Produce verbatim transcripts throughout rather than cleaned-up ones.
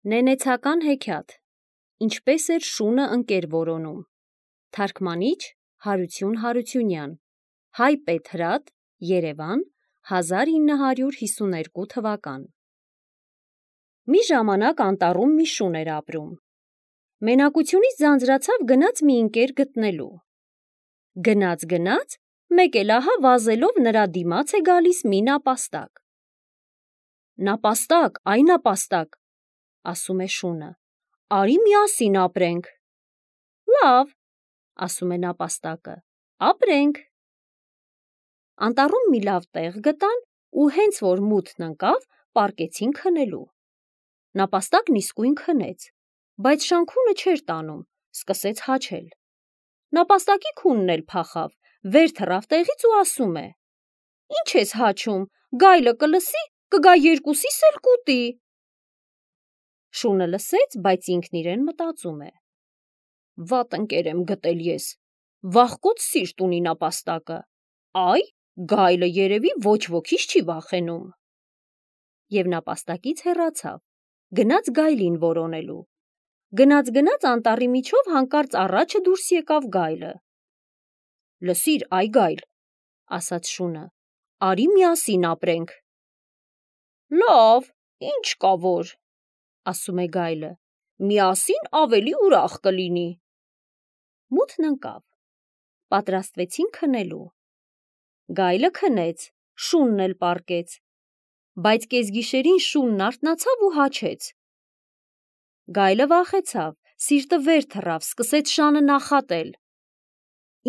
Նենեցական հեքիաթ. Ինչպես էր շունը ընկեր որոնում։ Թարգմանիչ Հարություն Հարությունյան, Հայ Պետրատ, Երևան, հազար ինը հարյուր հիսուներկու թվական։ Մի ժամանակ անտառում մի շուն էր ապրում։ Մենակությունից ձանձրացավ գնաց մի ընկեր գտնելու։ Գնաց գնաց, մեկ էլ ահա վազելով նրա դիմաց է գալիս մի նապաստակ։ Նապաստակ, այ նապաստակ, ասում է շունը, արի միասին ապրենք։ Լավ, ասում է նապաստակը, ապրենք։ Անտառում մի լավ տեղ գտան ու հենց որ մութն ընկավ, պառկեցին քնելու։ Նապաստակն իսկույն քնեց, բայց շանքունը չէր տանում, սկսեց հաչել։ Նապաստակի քունն էլ փախավ, վեր թռավ տեղից ու ասում է. Ինչ ես հաչում, գայլը կլսի, կգա երկուսիս էլ կուտի։ Շունը լսեց, բայց ինքն իրեն մտածում է. Վատ ընկեր եմ գտել ես, վախկոտ սիրտ ունի նապաստակը, այ գայլը երևի ոչ ոքից չի վախենում։ Եվ նապաստակից հեռացավ, գնաց գայլին որոնելու։ Գնաց գնաց անտառի միջով հանկարծ առաջը դուրս եկավ գայլը։ Լսիր, այ գայլ, ասաց շունը, արի միասին ապրենք։ Լավ, ինչ կա որ, ասում է գայլը, միասին ավելի ուրախ կլինի։ Մութն ընկավ, պատրաստվեցին քնելու։ Գայլը քնեց, շունն էլ պառկեց, բայց կեսգիշերին շունն արթնացավ ու հաչեց։ Գայլը վախեցավ, սիրտը վեր թռավ, սկսեց շանը նախատել։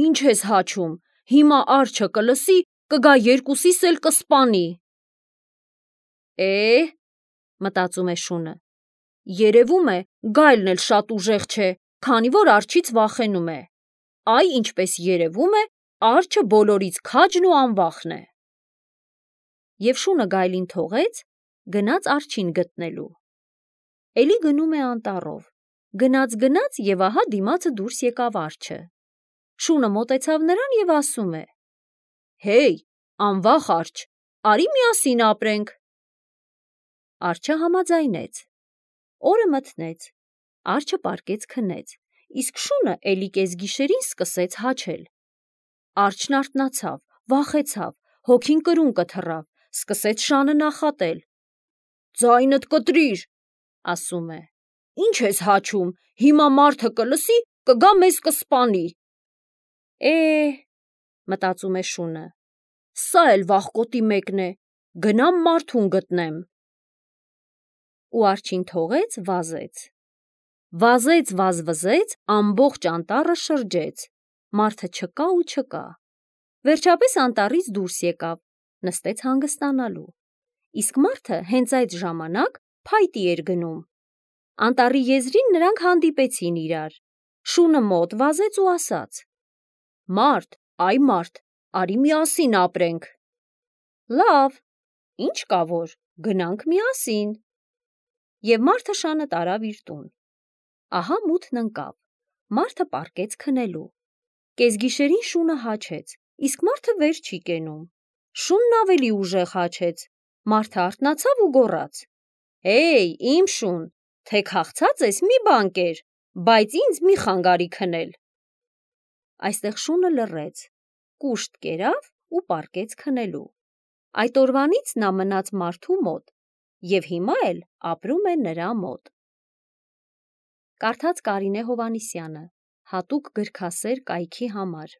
Ինչ ես հաչում, հիմա արջը կլսի, կգա երկուսիս էլ կսպանի։ Է, մտածում է շունը, երևում է գայլն էլ շատ ուժեղ չէ, քանի որ արջից վախենում է։ Այ ինչպես երևում է, արջը բոլորից քաջն ու անվախն է։ Եվ շունը գայլին թողեց, գնաց արջին գտնելու։ Էլի գնում է անտառով, գնաց գնաց և ահա դիմացը դուրս եկավ արջը։ Շունը մոտեցավ նրան և ասում է. Հեյ, անվախ արջ, արի միասին ապրենք։ Արջը համաձայնեց։ Օրը մթնեց, արջը պառկեց քնեց, իսկ շունը էլի կեսգիշերին սկսեց հաչել։ Արջն արթնացավ, վախեցավ, հոգին կրունկը թռավ, սկսեց շանը նախատել։ Ձայնդ կտրիր, ասում է, ինչ ես հաչում, հիմա մարդը կլսի, կգա մեզ կսպանի։ Է, մտածում է շունը, սա էլ վախկոտի մեկն է, գնամ մարդուն գտնեմ։ Ու արջին թողեց, վազեց։ Վազեց, վազվզեց, ամբողջ անտառը շրջեց, մարդը չկա ու չկա։ Վերջապես անտառից դուրս եկավ, նստեց հանգստանալու։ Իսկ մարդը հենց այդ ժամանակ փայտի էր գնում։ Անտառի եզրին նրանք հանդիպեցին իրար։ Շունը մոտ վազեց ու ասաց. Մարդ, այ մարդ, արի միասին ապրենք։ Լավ, ինչ կա որ, գնանք միասին։ Եվ մարդը շանը տարավ իր տուն։ Ահա մութն ընկավ, մարդը պառկեց քնելու։ Կեսգիշերին շունը հաչեց, իսկ մարդը վեր չի կենում։ Շունն ավելի ուժեղ հաչեց, մարդը արթնացավ ու գոռաց. Հեյ, իմ շուն, թե քաղցած ես մի բան կեր, բայց ինձ մի խանգարի քնել։ Այստեղ շունը լռեց, կուշտ կերավ ու պառկեց քնելու։ Այդ օրվանից նա մնաց մարդու մոտ և հիմա էլ ապրում է նրա մոտ։ Կարդաց Կարինե Հովհաննիսյանը, հատուկ գրքասեր կայքի համար։